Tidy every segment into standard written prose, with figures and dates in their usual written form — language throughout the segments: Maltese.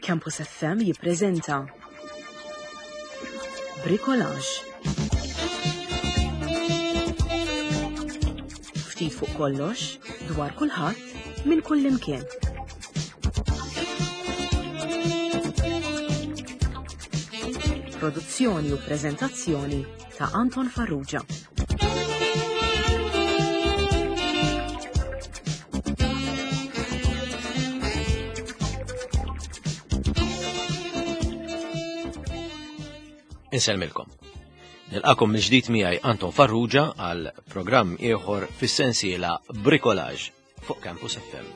Campus FM jippreżenta Bricolage. Ftit fuq kollox, dwar kulħadd, minn kullimkien. Produzzjoni u preżentazzjoni ta' Anton Farrugia. Insellmilkom. Nilqakom mill-ġdid miegħi Anton Farrugia għal programm ieħor fis-sensiela Bricolage fuq Campus FM.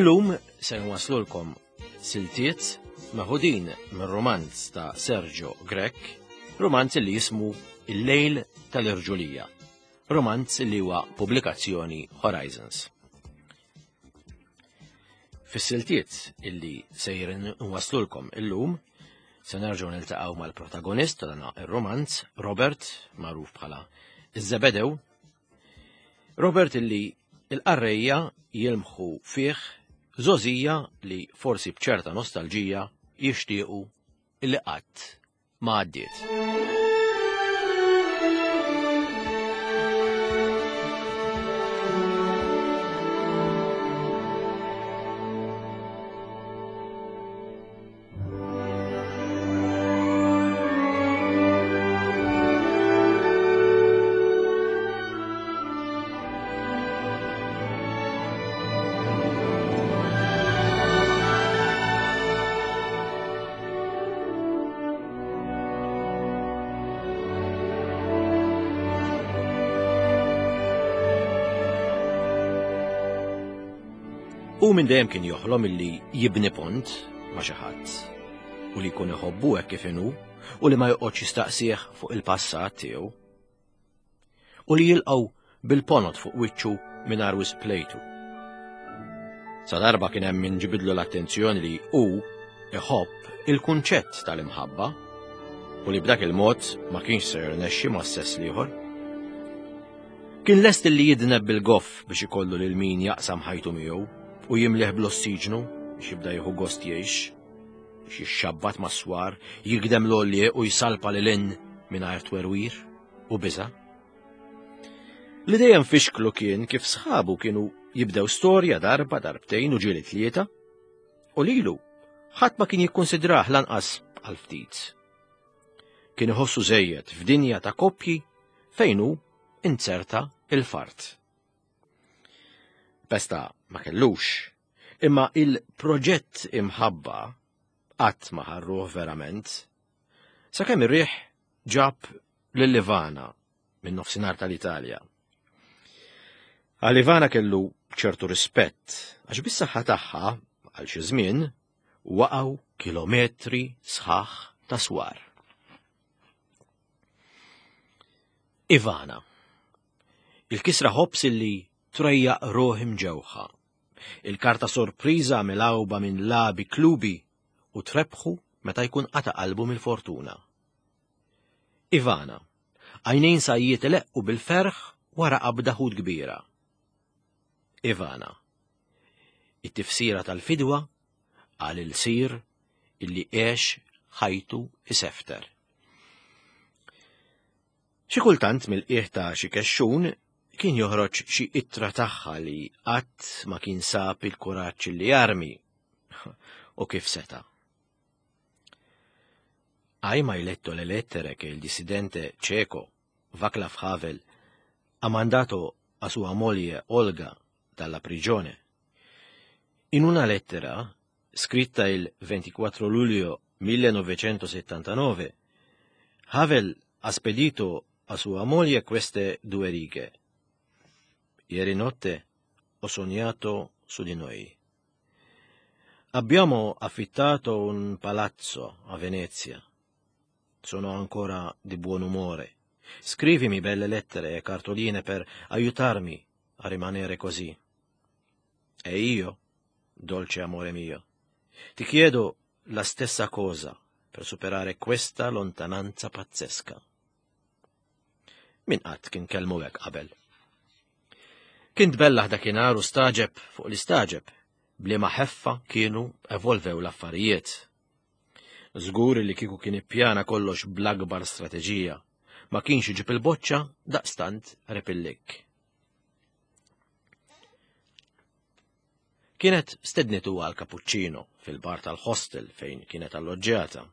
Illum se nwaslulkom siltiet meħudin mir-romanz ta' Sergio Grech, romanz li jismu Il-Lejl tal-Irġulija, romanz li huwa pubblikazzjoni Horizons. Fis-siltiet illi sejrin nwaslulkom illum, se nerġgħu niltaqgħu mal-protagonist ta' dan ir-romanz, Robert, magħruf bħala iż-Zebedew, Robert illi il-qarrejja jilmħu fih żgħożija li forsi b'ċerta nostalġija jixtiequ illi qatt ma għaddiet. U minn dejjem kien joħlom illi jibni pont ma' xi ħadd u li jkun iħobbu hekk kif inhu u li ma joqgħodx jistaqsih fuq il-passat tiegħu. U li jilqgħu bil-ponot fuq wiċċu mingħajr wisq plejtu. Sa darba kien hemm min ġibidlu l-attenzjoni li hu iħobb il-kunċett tal-imħabba u li b'dak il-mod ma kienx se jirnexxi ma' sess l-ieħor. Kien lest li jidneb bil-goff biex ikollu lil min jaqsam ħajtu miegħu u jimlih bl-ossiġnu biex jibda jieħu gost jgħix, biex jixxabbat mas-swar, jigdem l-għollieq u jsalpa lil hinn mingħajr twerwir u biża'. Li dejjem fixklu kien kif sħabu kienu jibdew storja darba, darbtejn u ġieli tlieta, u lilu ħadd ma kien jikkunsidrah lanqas għal ftit. Kien iħossu żejjed f'dinja ta' koppji fejn hu inzerta il-fart. Pesta ma kellux, imma il-proġett imħabba qatt ma ħarruh verament. Sakemm ir-riħ ġab lil Ivana minn nofsinhar tal-Italja. Għal Ivana kellu ċertu rispett għax bis-saħħa tagħha għal xi żmien waqgħu kilometri sħaħ ta' swar. Ivana. Il-kisra ħobs illi trejjaq ruħ imġewħa. Il-karta sorpriża milgħuba minn labi klubi u trebħu meta jkun qata' qalbu mill-fortuna. Ivana. Għajnejn sajjiet ileqqu bil-ferħ wara qabda ħut kbira. Ivana. It-tifsira tal-fidwa għal ilsir illi għex ħajtu isefter. Xi kultant mill-qiegħ ta' xi kexxun kien joħroġ xi ittra tagħha li qatt ma kien sab il-kuraġġ li jarmi u kif seta'. Hai mai letto le lettere che il dissidente ceco Václav Havel ha mandato a sua moglie Olga dalla prigione? In una lettera, scritta il 24 luglio 1979, Havel ha spedito a sua moglie queste due righe. Ieri notte ho sognato su di noi. Abbiamo affittato un palazzo a Venezia. Sono ancora di buon umore. Scrivimi belle lettere e cartoline per aiutarmi a rimanere così. E io, dolce amore mio, ti chiedo la stessa cosa per superare questa lontananza pazzesca. Min qatt kien kellmu hekk qabel. Kien tbellaħ dakinhar u staġeb fuq l-istaġeb. b'liema ħeffa kienu evolvew l-affarijiet. Żgur li kieku kien ippjana kollox bl-akbar strateġija, ma kienx iġib il-boċċa daqstant repillik. Kienet stednitu għal cappuccino fil-bar tal-hostel fejn kienet alloġġjata.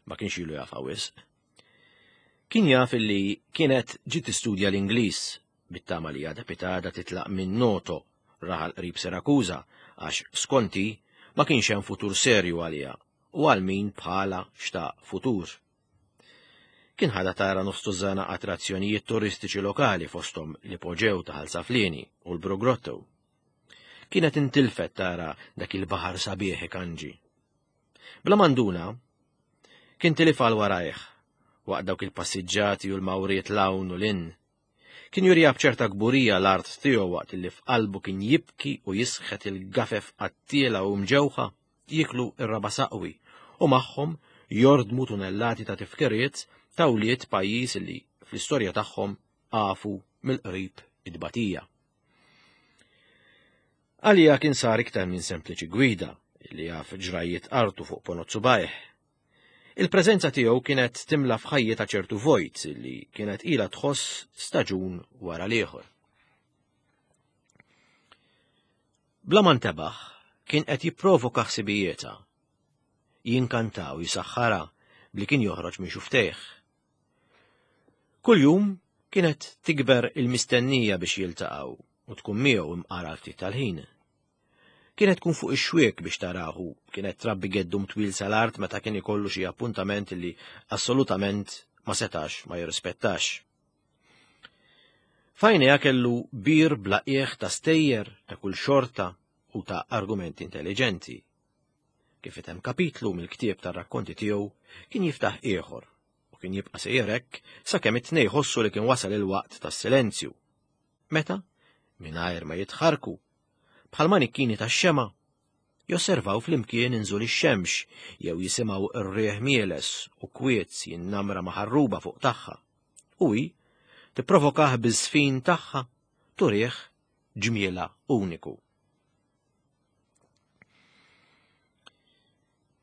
Ma kienx ilu jafha wisq. Kien jaf illi kienet ġiet tistudja l-Ingliż bit-tama li għada pitada titlaq minn Noto, raħal qrib Sirakuża, għax skonti ma kienx hemm futur serju għaliha u għal min bħala xtaq futur. Kien ħadha tara nofs tużżana attrazzjonijiet turistiċi lokali fosthom l-Ipoġew ta' Ħal Saflieni u l-Bru Grotto. Kienet intilfet tara dak il-baħar sabiħ ikanġi. Bla manduna, kien tilif għal warajh waqt dawk il-passiġġati u l-mawriet l-hawn u l-in. Kien juriha b'ċerta kburija l-art tiegħu waqt li f'qalbu kien jibki u jisħet il-gafef qattiela u mġewħa jieklu r-raba' saqwi u magħhom jordmu tunellati ta' tifkiriet ta' wlied pajjiż li fl-istorja tagħhom għafu mill-qrib it-tbatija. Għalija kien sar iktar minn sempliċi gwida li jaf ġrajjiet artu fuq ponot subajh. Il-preżenza tiegħu kienet timla f'ħajjitha ċertu vojt li kienet ilha tħoss staġun wara l-ieħor. Bla ma ntebaħ, kien qed jipprovoka ħsibijietha. Jinkantaw jisaħħarha bli kien joħroġ minn xuftejh. Kuljum kienet tikber il-mistennija biex jiltaqgħu u tkun miegħu imqara ftit tal-ħin. Kienet tkun fuq ix-xwiek biex tarah u kienet trabbi geddum twil sal-art meta kien ikollu xi appuntament li assolutament ma setax ma jirrispettax. F'għajnejha kellu bir bla qiegħ ta' stejjer ta' kull xorta u ta' argumenti intelliġenti. Kif item kapitlu mill-ktieb tar-rakkonti tiegħu kien jiftaħ ieħor u kien jibqa' sejjer hekk sakemm it-tnej ħossu li kien wasal il-waqt tas-silenzju. Meta, mingħajr ma jitħarku, bħal manikkini tax-xema, josservaw flimkien inżul ix-xemx jew jisimgħu r-riħ mieles u kwiet jinnamra ma' ħarruba fuq tagħha. U hi tipprovokah biż-żfin tagħha turih ġmiela uniku.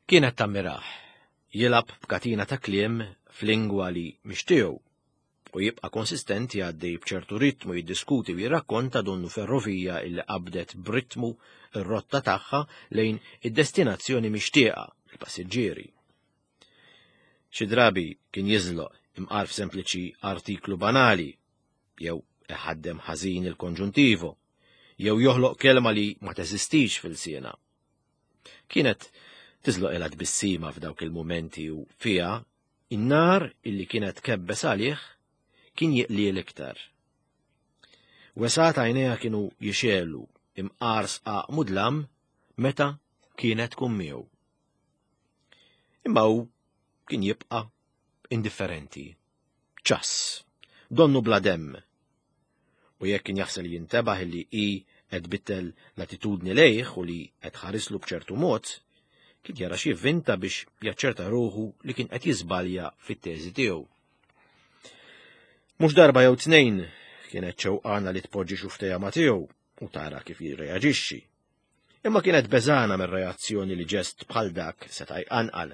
Kienet tammirah, jilgħab b'katina ta' kliem f'lingwa li mhix tiegħu u jibqa' konsistenti għaddej b'ċertu ritmu jiddiskuti u jirrakkonta donnu ferrovija illi qabdet b'ritmu r-rotta tagħha lejn id-destinazzjoni mixtieqa, il-passiġġieri. Xi drabi kien jiżloq imqar f'sempliċi artiklu banali, jew iħaddem ħażin il-konġuntivo, jew joħloq kelma li ma teżistix fil-siena. Kienet tiżloq ilha tbissima f'dawk il-mumenti u fiha In-nar illi kienet kebbes għalih kien jiqliel iktar. Wesgħat għajnejha kienu jixegħlu imqar sqaq mudlam meta kienet tkun miegħu. Imma hu kien jibqa' indifferenti, ċass, donnu bla demm, U jekk kien jaħsel jintebaħ li hi qed tbiddel l-attitudni lejh u li qed tħarislu b'ċertu mod, kien jara xi vvinta biex jaċċerta ruħu li kien qed jiżbalja fit-teżi tiegħu. Mhux darba jew tnejn kienet xewqana li tpoġġi xuftejha ma' tiegħu u tara kif jirreaġixxi. Imma kienet beżana mir-reazzjoni li ġest bħal dak seta' jqanqal.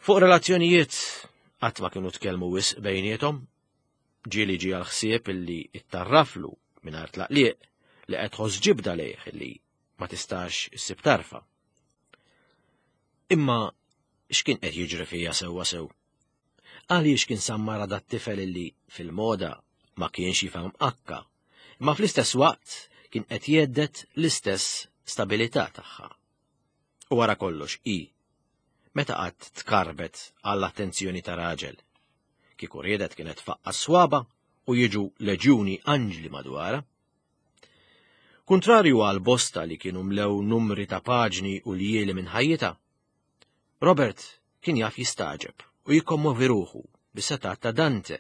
Fuq relazzjonijiet qatt ma kienu tkellmu wisq bejniethom, Ġieli ġie għall-ħsieb illi ttarraflu mingħajr tlaqliq li qed tħoss ġibda lejh illi ma tistax issib tarfa. Imma x'kien qed jiġri fija sewwa sew? Għaliex kien sammara dat-tifel illi fil-moda ma kienx jifhem akka, imma fl-istess waqt kien qed jgħeddet l-istess stabilità tagħha. U wara kollox hi, meta qatt tkarbet għall-attenzjoni ta' raġel? Kieku riedet kienet tfaqqa' s-swaba u jiġu leġjuni anġli madwarha. Kuntrarju għal bosta li kienu mlew numri ta' paġni u ljieli minn ħajjitha, Robert kien jaf jistagħġeb u jikkommovi ruħu bis-setat ta' Dante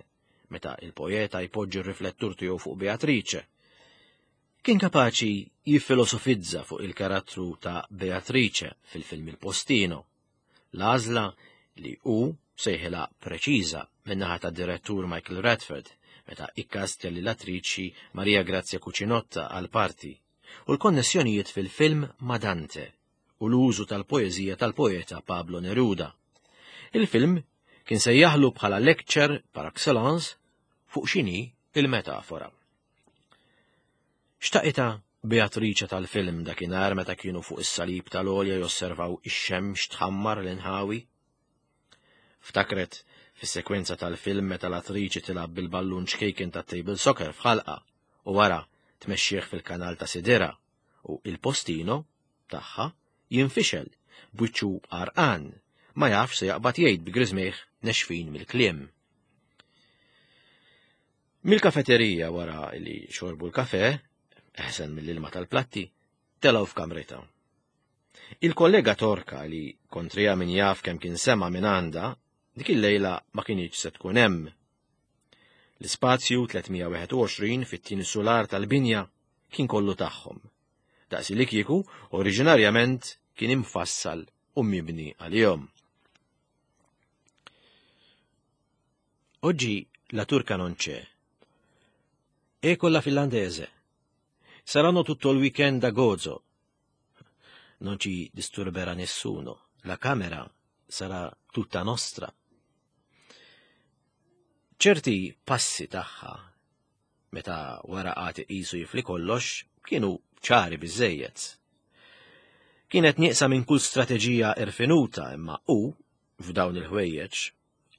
meta il-poeta jpoġġi r-riflettur tiegħu fuq Beatrice. Kien kapaċi jiffilosofizza fuq il-karattru ta' Beatrice fil-film Il Postino, l-għażla li hu sejħilha preċiża min-naħa tad-direttur Michael Radford meta ikkastja lill-attriċi Maria Grazia Cucinotta għall-parti. u l-konnessjonijiet fil-film ma' Dante u l-użu tal-poeżija tal-poeta Pablo Neruda. Il-film kien sejjaħlu bħala lecture par excellence fuq x'inhi il-metafora. Xtaqitha Beatrice tal-film dakinhar meta kienu fuq is-salib tal-għolja josservaw ix-xemx tħammar l-inħawi? Ftakret fis-sekwenza tal-film meta l-attriċi tilgħab bil-ballun ċkejken tat-table soccer f'ħalqa u wara tmexxih fil-kanal ta' sidirha u il-postino tagħha jinfixel b'wiċċu għarqan ma jafx se jaqbad jgħid bi griżmejh nexfin mill-kliem. Mill-kafeterija wara li xorbu l-kafe, eħsen mill-ilma tal-platti, telgħu f'kamritha. Il-kollega Torka li kontrija min jaf kemm kien sema minn għandha, dik il-lejla ma kinitx se tkun hemm. L-ispazju 321 fit-tieni sular tal-binja kien kollu tagħhom. Daqsi li kieku oriġinarjament kien imfassal u mibni għalihom. Oggi la turca non c'è. E con la finlandese. Saranno tutto il weekend a Gozo. Non ci disturberà nessuno. La camera sarà tutta nostra. Ċerti passi tagħha meta wara qagħad iqisu jifli kollox kienu ċari biżejjed. Kienet nieqsa minn kull strateġija irfinuta imma hu f'dawn il-ħwejjeġ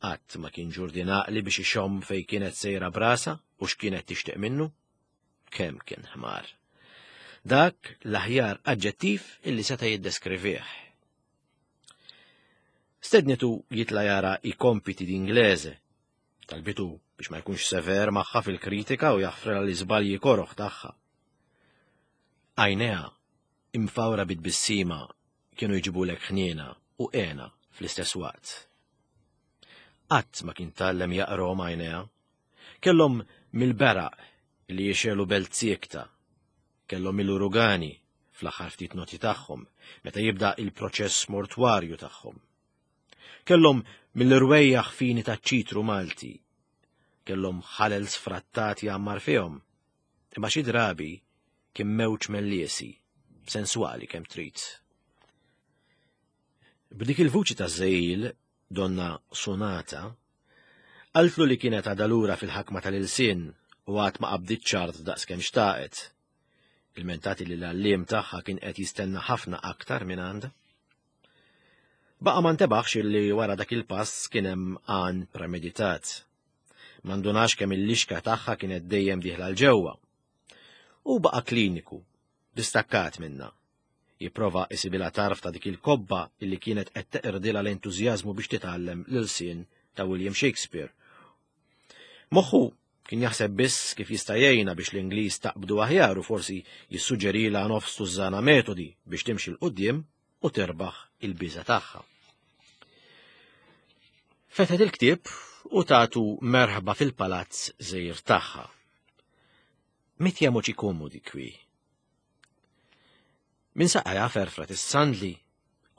Qatt ma kien ġurdien għaqli biex ixomm fejn kienet sejra brasa u x'kienet tixtieq minnu. Kemm kien ħmar. Dak l-aħjar aġġettiv illi seta' jiddeskrivih. Stednitu jitla jara i kompiti d'inglese. Talbitu biex ma jkunx sever magħha fil-kritika u jaħfrela l-iżbalji koroħ tagħha. Għajnejha imfawra bit-tbissima kienu jġibulek ħniena u hena fl-istess waqt. Qatt ma kien tgħallem jaqrahom għajnejha. Kellhom mill-beraq li jixegħlu belt siekta. Kellhom mill-urugani fl-aħħar ftit noti tagħhom meta jibda il-proċess mortwarju tagħhom. Kellhom mill-irwejjaħ fini taċ-ċitru Malti. Kellhom ħalel sfrattat jgħammar fihom. Imma xi drabi kien mewġ melliesi, senswali kemm trid. B'dik il-vuċi ta' żejl, donna sonata, qaltlu li kienet għadha lura fil-ħakma tal-ilsien u għad ma qabditx ċart daqs kemm xtaqet. Ilmentati li l-għalliem tagħha kien qed jistenna ħafna aktar minn għandha. Baqa' ma ntebaħx illi wara dak il-pass kien hemm għan premeditat. Ma ndunax kemm il-lixka tagħha kienet dejjem dieħla 'l ġewwa. Hu baqa' kliniku, distakkat minnha. Jipprova isibilha tarf ta' dik il-kobba illi kienet qed teqirdilha l-entużjażmu biex titgħallem l-ilsien ta' William Shakespeare. Moħħu kien jaħseb biss kif jista' jgħinha biex l-Ingliż taqbdu aħjar u forsi jissuġġerilha nofs tużżana metodi biex timxi 'l quddiem u terbaħ il-biża' tagħha. Fetħet il-ktieb u tatu merħba fil-palazz żgħir tagħha. Mettiamoci comodi qui. Min saqajha ferfret is-sandli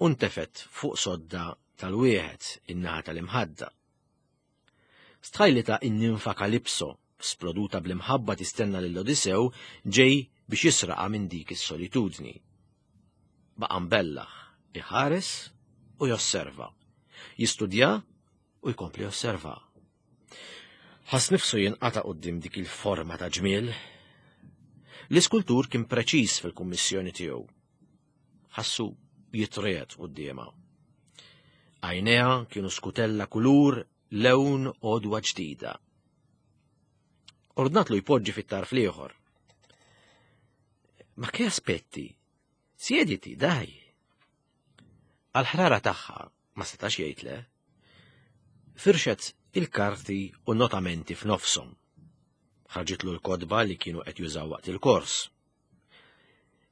u ntefet fuq sodda tal-wieħed in-naħa tal-imħadda. Stħajlitha in-ninfa Kalipso, sploduta bl-imħabba tistenna lil Odisew ġej biex jisraqha minn dik is-solitudni. Baqa' mbellaħ, iħares u josserva. Jistudja u jkompli josserva. Ħass nifsu jinqata' quddiem dik il-forma ta' ġmiel. L-iskultur kien preċiż fil-kummissjoni tiegħu. Ħassu jitriegħed quddiemha. Għajnejha kienu skutella kulur lewn għodwa ġdida. Ordnatlu jpoġġi fit-tarf l-ieħor. Ma che aspetti? Siediti, daj. Għal-ħrara tagħha ma setax jgħid le. Firxet il-karti u notamenti f'nofshom. Ħarġitlu l-kodba li kienu qed jużaw waqt il-kors.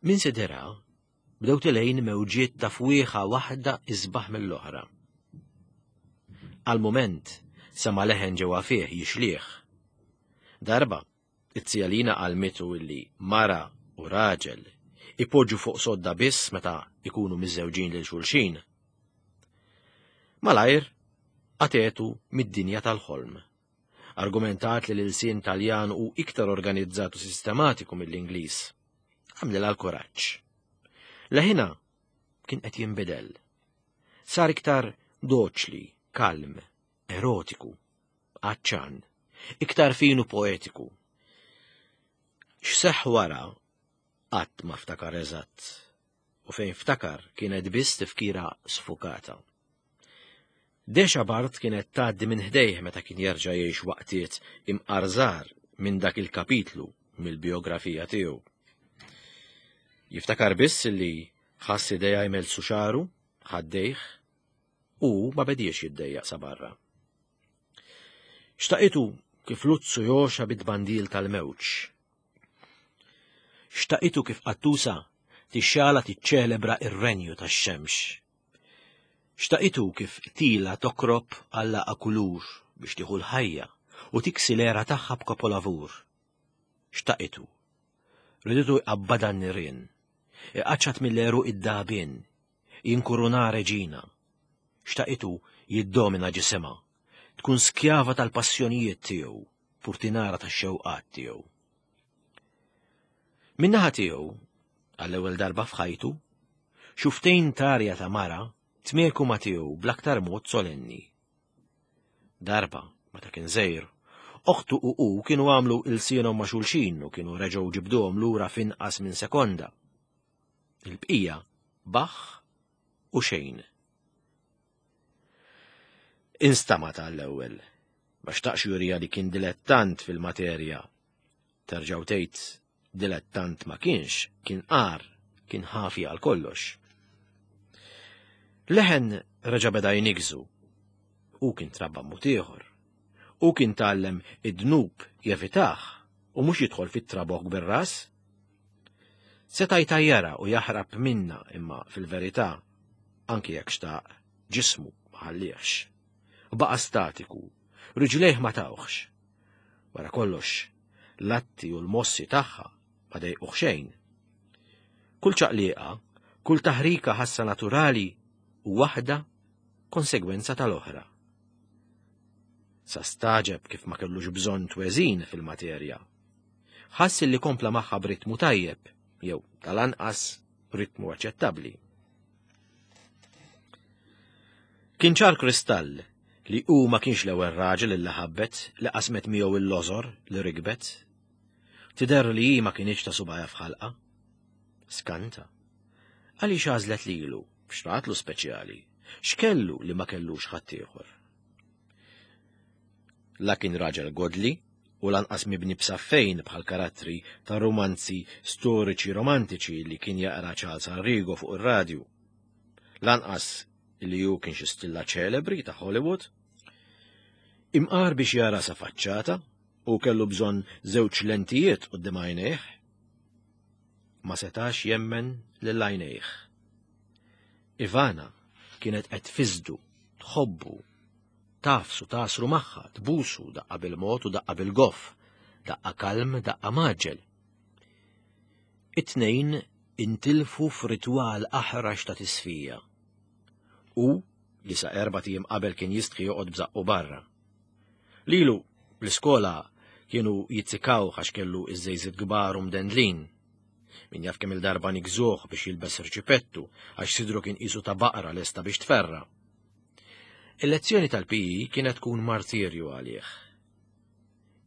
Minn sidirha bdew tilejn mewġiet ta' fwieħa waħda isbaħ mill-oħra. Għal mument sema' leħen ġewwa fih jixlih. Darba, it-zija Lina għallmitu illi mara u raġel ipoġġu fuq sodda biss meta ikunu miżżewġin lil xulxin. Malajr, għatetu mid-dinja tal-ħolm. Argumentat li l-ilsien Taljan hu iktar organizzat u sistematiku mill-Ingliż. Għamlilha l-kuraġġ. Leħinha kien qed jinbidel. Sar iktar doċli, kalm, erotiku, għatxan, iktar fin u poetiku. X'seħħ wara qatt ma ftakar eżatt u fejn ftakar kienet biss tifkira sfukata. Dexa Bart kienet tgħaddi minn ħdejh meta kien jerġa' jgħix waqtiet imqar żgħar minn dak il-kapitlu mill-bijografija tiegħu. Jiftakar biss li ħass idejha jmelsu xagħru, ħaddejh, u ma bediex jiddejjaq sa barra. Xtaqitu kif luzzu joxa bit-tbandil tal-mewġ. Xtaqitu kif qattusa tixxala tiċċelebra ir-renju tax-xemx. Xtaqitu kif tila tokrob għallaqa kulur biex tieħu l-ħajja u tiksi l-era tagħha b'kapolavur. Xtaqitu. Riditu jqabbadha n-nirien. Iqaċċat mill-għeruq id-dagħbien. Jinkuruna reġina. Xtaqitu jiddomina ġisimha. Tkun skjava tal-passjonijiet tiegħu, purtinara tax-xewqat tiegħu. Min-naħa tiegħu, għall-ewwel darba f'ħajtu, xuftejn tarja ta' mara tmieku ma' tiegħu bl-aktar mod solenni. Darba, meta kien żgħir, oħtu u hu kienu għamlu ilsienhom ma' xulxin u kienu reġgħu ġibduhom lura f'inqas minn sekonda. Il-bqija baħ u xejn. Instamat għall-ewwel. Ma xtaqx jurija li kien dilettant fil-materja. Terġgħu tgħid dilettant ma kienx, kien qar, kien ħafi għal kollox. Leħen reġa' beda jnigżu. Hu kien trabba mod ieħor. Hu kien tgħallem id-dnub jevitah u mhux jidħol fit-trabokk bir-ras. Seta' jtajjarha u jaħrab minnha imma fil-verità, anki jekk xtaq, ġismu ma ħalliehx. Baqa' statiku, riġlejh ma tawhx. Wara kollox, l-atti u l-mossi tagħha ma dejquh xejn. Kull ċaqliqa, kull taħrika ħassa naturali u waħda konsegwenza tal-oħra. Sa staġeb kif ma kellux bżonn tweżin fil-materja. Ħass li kompla magħha b'ritmu tajjeb, jew tal-anqas ritmu aċċettabbli. Kien ċar kristall li hu ma kienx l-ewwel raġel illi ħabbet li qasmet miegħu il-lożor li rikbet. Tidher li hi ma kinitx ta' subgħajha f'ħalqha. Skanta. Għaliex għażlet lilu, x'ratlu speċjali, x'kellu li ma kellux ħaddieħor. La kien raġel godli u lanqas mibni b'saffejn bħal karattri ta' rumanzi storiċi romantiċi li kien jaqra Charles Arrigo fuq ir-radju. Lanqas li hu kien xi stilla ċelebri ta' Hollywood. Imqar biex jara sa faċċata u kellu bżonn żewġ lentijiet quddiem għajnejh. Ma setax jemmen lil għajnejh. Ivana kienet qed tfiżdu, tħobbu, tafsu tasru magħha, tbusu daqqa bil-mod u daqqa bil-goff, daqqa kalm, daqqa maġġel. It-tnejn intilfu f'ritwal aħrax ta' tisfija. U li sa erbat ijiem qabel kien jistħi joqgħod b'żaqqu barra. Lilu, l-iskola kienu jitzikaw għax kellu iż-żejżiet kbar u mdendlin. Min jaf kemm il-darba nigżuh biex jilbes irċipettu għax sidru kien qisu ta' baqra lesta biex tferra. Il-lezzjoni tal-PE kienet tkun martirju għalih.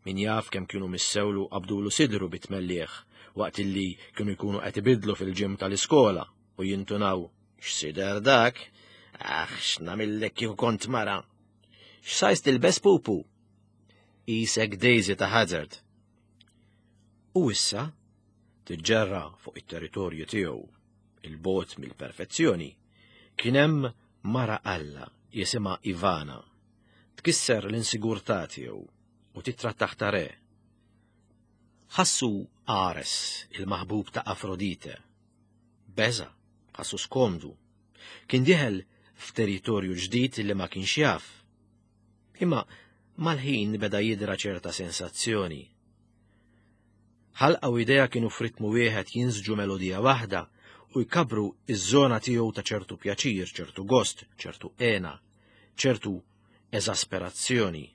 Min jaf kemm kienu missewlu qabdulu sidru bit-tmelliħ waqt illi kienu jkunu qed ibidlu fil-ġim tal-iskola u jintunaw x'sider dak, aħ x'namillek kieku kont mara. X'sajs tilbes pupu? Isek Daisy ta' Hazard. U issa tiġġerra fuq it-territorju tiegħu il-bot mill-perfezzjoni, kien hemm mara Alla jisimha Ivana tkisser l-insigurtà tiegħu u titrattah ta' re. Ħassu Ares, il-maħbub ta' Afrodite. Beża, ħassu skomdu. Kien dieħel f'territorju ġdid li ma kienx jaf. Imma mal-ħin beda jidra ċerta sensazzjoni. Ħalqa u idea kienu f'ritmu wieħed jinsġu melodija waħda u jkabru iż-żona tiegħu ta' ċertu pjaċir, ċertu gost, ċertu hena, ċertu eżasperazzjoni.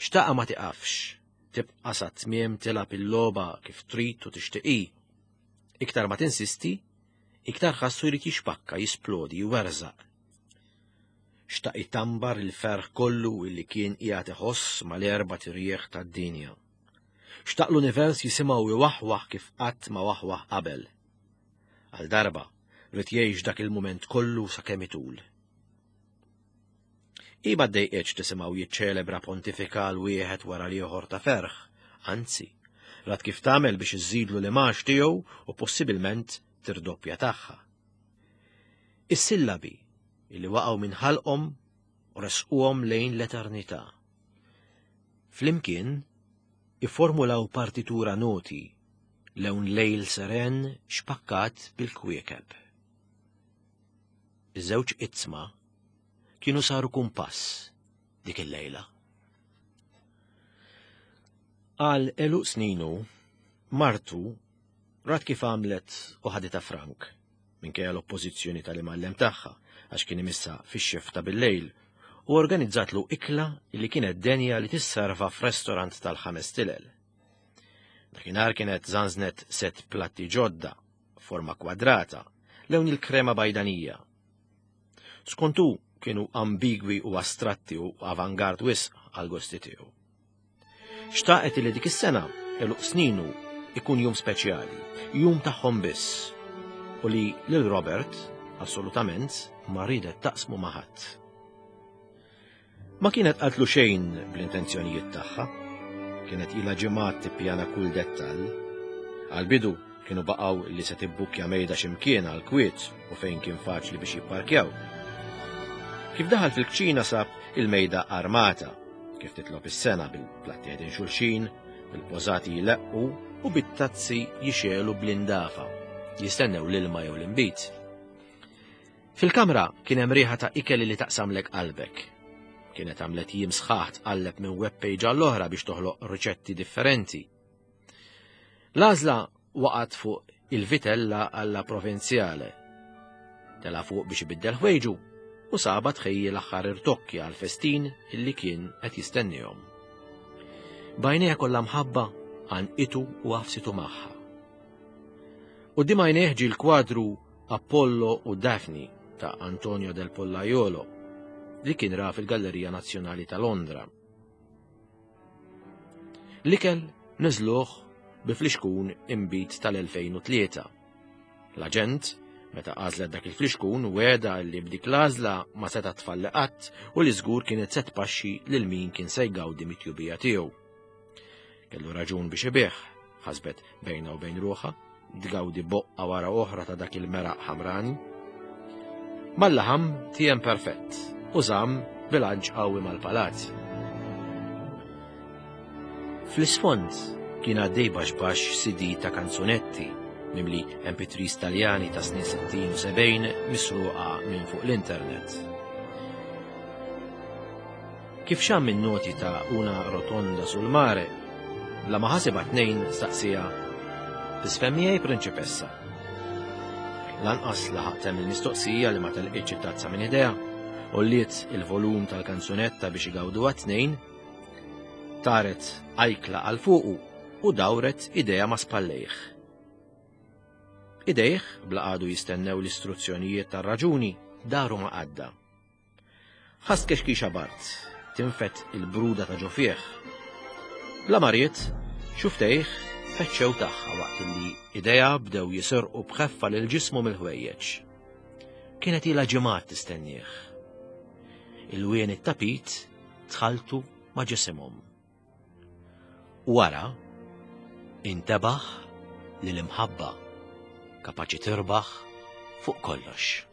Xtaqa ma tiqafx, tibqa' sa tmiem tilgħab il-logħba kif trid u tixtieq hi. Iktar ma tinsisti, iktar ħassu jrid jixpakka, jisplodi, jwerżaq. Xtaq itambar il-ferħ kollu illi kien qiegħed iħoss mal-erba' tirjieħ tad-dinja. Xtaq l-univers jisimgħu iwaħwaħ kif qatt ma waħwaħ qabel. Għal darba, ried jgħix dak il-mument kollu sakemm itul. Hi ma ddejqitx tisimgħu jiċċelebra pontifikal wieħed wara l-ieħor ta' ferħ, anzi, rat kif tagħmel biex iżżidlu l-imgħax tiegħu u possibilment tirdoppja tagħha. Is-sillabi li waqgħu minn ħalqhom u resquhom lejn l-eternità. Flimkien ifformulaw partitura noti lewn lejl seren xpakkat bil-kwiekeb. Iż-żewġ iqsma kienu saru kumpass dik il-lejla. Għal eluq sninu, martu rat kif għamlet u ħaditha frank, minkejja l-oppożizzjoni tal-imgħallem tagħha għax kien imissa fix-xifta bil-lejl u organizzatlu ikla li kienet denja li tisserva f'restorant tal-ħames tilel. Dakinhar kienet żanżnet set platti ġodda forma kwadrata, lewn il-krema bajdanija. Skont hu kienu ambigwi u astratti u avangard wisq għal gosti tiegħu. Xtaqet li dik is-sena eluq sninu ikun jum speċjali, jum tagħhom biss, u li lil Robert assolutament ma ridet taqsmu ma' ħadd. Ma kienet qaltlu xejn bl-intenzjonijiet tagħha. Kienet ilha ġimgħat tippjana kull dettall. Għall-bidu kienu baqgħu li se tibbukkja mejda xi mkien għal kwiet u fejn kien faċli biex jipparkjaw. Kif daħal fil-kċina sab il-mejda armata, kif titlob is-sena bil-platti ħdejn xulxin, bil-pożati jleqqu u bit-tazzi jixegħlu bl-indafa, jistennew l-ilma jew l-inbid. Fil-kamra kien hemm riħa ta' ikel li taqsamlek qalbek. Kienet għamlet jiem sħaħ tqalleb minn web page għall-oħra biex toħloq riċetti differenti. L-għażla waqgħet fuq il-vitella alla provenzjale. Tela fuq biex ibiddel ħwejġu u saba tħejji l-aħħar irtokki għal festin illi kien qed jistennihom. Bajnejha kollha mħabba għanqitu u għafsitu magħha. Quddiem għajnejh ġie l-kwadru Apollo u Daphne ta' Antonio del Pollaiolo li kien ra fil-Gallerija Nazzjonali ta' Londra. L-ikel niżluh bi flixkun imbit tal-2003. L-aġent, meta għażlet dak il-flixkun, weda li b'dik l-għażla ma seta' tfalli qatt u li żgur kienet se tpaxxi lil min kien se jgawdi mit-tjubija tiegħu. Kellu raġun biex ibih, ħasbet bejna u bejn ruħha, tgawdi boqqa wara oħra ta' dak il-meraq ħamrani. Mal-laħam tijem perfett u żamm bilanċ qawwi mal-palazz. Fl-isfond kien għaddej baxbax CD ta' kanzunetti mimli MP3s Taljani ta' snin 60 u 70 misruqa minn fuq l-internet. Kif xamm in-noti ta' Una rotonda sul mare, bla ma ħasibha tnejn staqsieha, Tisfhem miegħi, prinċipessa? Lanqas laħaq temm il-mistoqsija li ma telqitx it-tazza minn idejha, għolliet il-volum tal-kanzunetta biex igawduha t-tnejn, taret ajkla għal fuqu u dawret idejha ma' spallejh. Idejh, bla qagħdu jistennew l-istruzzjonijiet tar-raġuni, daru ma' qadda. Ħass kexkixa bard, tinfed il-bruda ta' ġo fih. Bla ma ried, xuftejh feċċew tagħha waqt li idejha bdew jisirqu b'ħeffa lil ġismu mill-ħwejjeġ. Kienet ilha ġimgħat tistennieh. Ilwien it-tapit tħalltu ma' ġisimhom. Wara, intebaħ li l-imħabba kapaċi tirbaħ fuq kollox.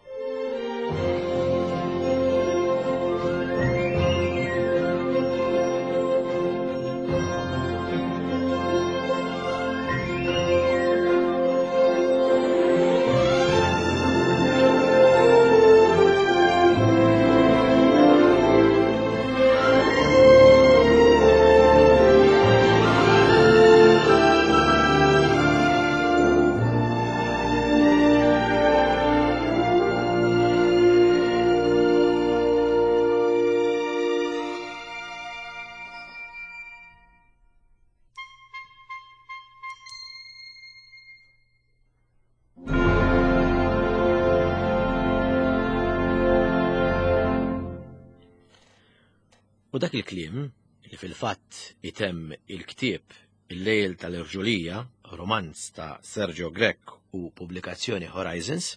U dak il-kliem, li fil-fatt itemm il-ktieb Il-Lejl tal-Irġulija, romanz ta' Sergio Grech u pubblikazzjoni Horizons,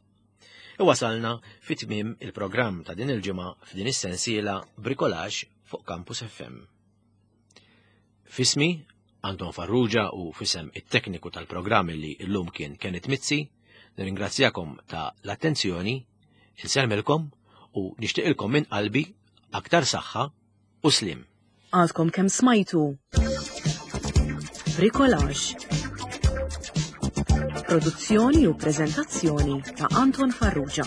iwasalna fi tmiem il-programm ta' din il-ġimgħa f'din is-sensiela Bricolage fuq Campus FM. Fismi, Anton Farrugia u fisem it-tekniku tal-programm li llum kien Kenneth Mizzi, nirringrazzjakom ta' l-attenzjoni, insellmilkom u nixtieqilkom minn qalbi aktar saħħa u sliem. Għadkom kemm smajtu Bricolage. Produzzjoni u preżentazzjoni ta' Anton Farrugia.